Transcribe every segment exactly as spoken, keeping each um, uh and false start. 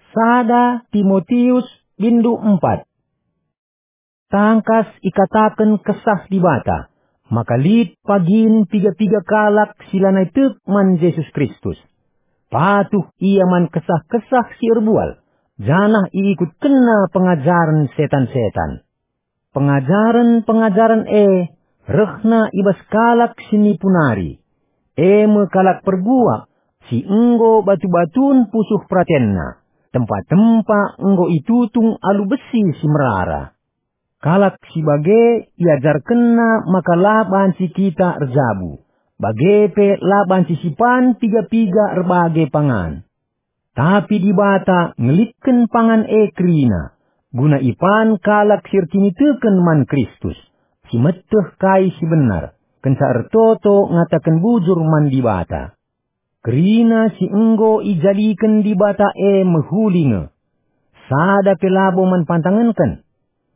Sada Timotius bindu empat. Tangkas ikataken Kesah Dibata, maka lit pagin piga-piga kalak si lanai tek man Jesus Kristus. Patuh ia man kesah-kesah si erbual, janah iikutkenna pengajaren setan-setan. Pengajaren-pengajaren e rehna i bas kalak si nipu nari, e me kalak perguak si enggo batu-batun pusuh peratenna, tempa-tempa enggo itutung alu besi si merara. Kalak si bage iajarkenna maka la banci kita erjabu, bage pe la banci sipan piga-piga erbage pangan. Tapi Dibata ngelitken pangan e kerina, guna ipan kalak si erkiniteken man Kristus, si meteh kai si benar, kenca ertoto ngataken bujur man Dibata. Kerina si enggo ijadiken Dibata e mehuli nge. Sada pe labo man pantangenken,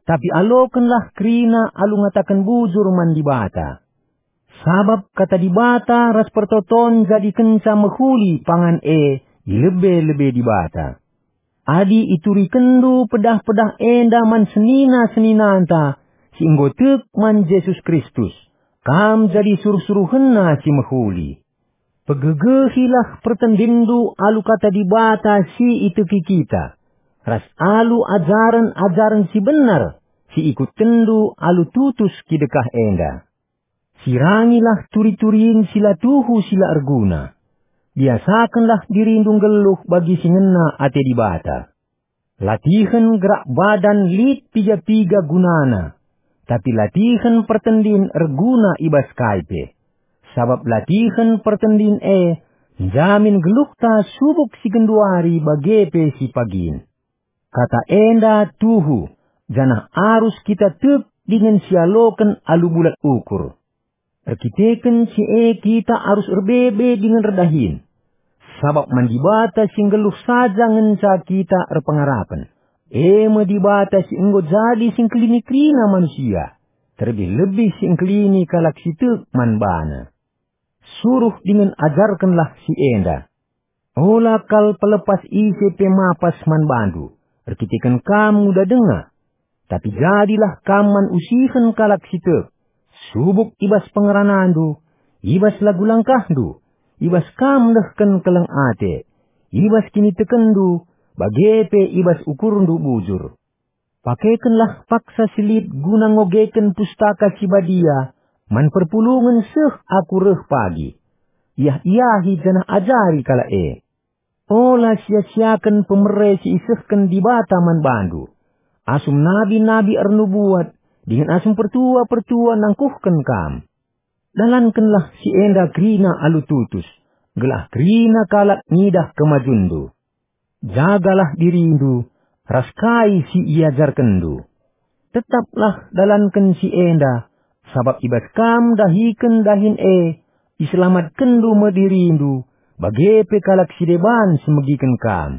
tapi alokenlah kerina alu ngataken bujur man Dibata. Sabap kata Dibata ras pertoton jadikenca mehuli pangan e i lebe-lebe Dibata. Adi iturikenndu pedah-pedah enda man senina-seninanta si enggo tek man Jesus Kristus, kam jadi suruh-suruhenNa si mehuli. Pegegehilah pertendinndu alu kata Dibata si iteki kita, ras alu ajaren-ajaren si benar si ikutkenndu alu tutus kidekah enda. Sirangilah turi-turin si la tuhu si la erguna. Biasakenlah dirindu nggeluh bagi si ngena ate Dibata. Latihen gerak badan lit piga-piga gunana, tapi latihen pertendin erguna i bas kai pe. Sabap latihen pertendin e njamin geluhta subuk si genduari bage pe si pagin. Kata enda tuhu, janah arus kita tek dingen sialoken alu bulat ukur. Erkiteken si e kita arus erbebe dingen erdahin. Sabap man Dibata si nggeluh saja ngenca kita erpengarapen. E me Dibata si enggo jadi si ngkelini kerina manusia, terlebih-lebih si ngkelini kalak si tek man baNa. Suruh dingen ajarkenlah si enda. Ola kal pelepas ise pe mapas man bandu, erkiteken kam nguda denga. Tapi jadilah kam man usihen kalak si tek, subuk i bas pengeranandu, i bas lagu langkahndu, i bas kam nehken keleng ate, i bas kinitekenndu, bage pe i bas ukurndu bujur. Pakekenlah paksa si lit guna ngogeken Pustaka Si Badia man perpulungen seh aku reh pagi. Iah-iahi janah ajari kalak e. Ola sia-siaken pemere si isehken Dibata man bandu, asum nabi-nabi ernubuat dingen asum pertua-pertua nangkuhken kam. Dalankenlah si enda kerina alu tutus, gelah kerina kalak ngidah kemajunndu. Jagalah dirindu ras kai si iajarkenndu. Tetaplah dalanken si enda, sabap i bas kam dahiken dahin e, iselamatkenndu me dirindu, bage pe kalak si deban si megiken kam.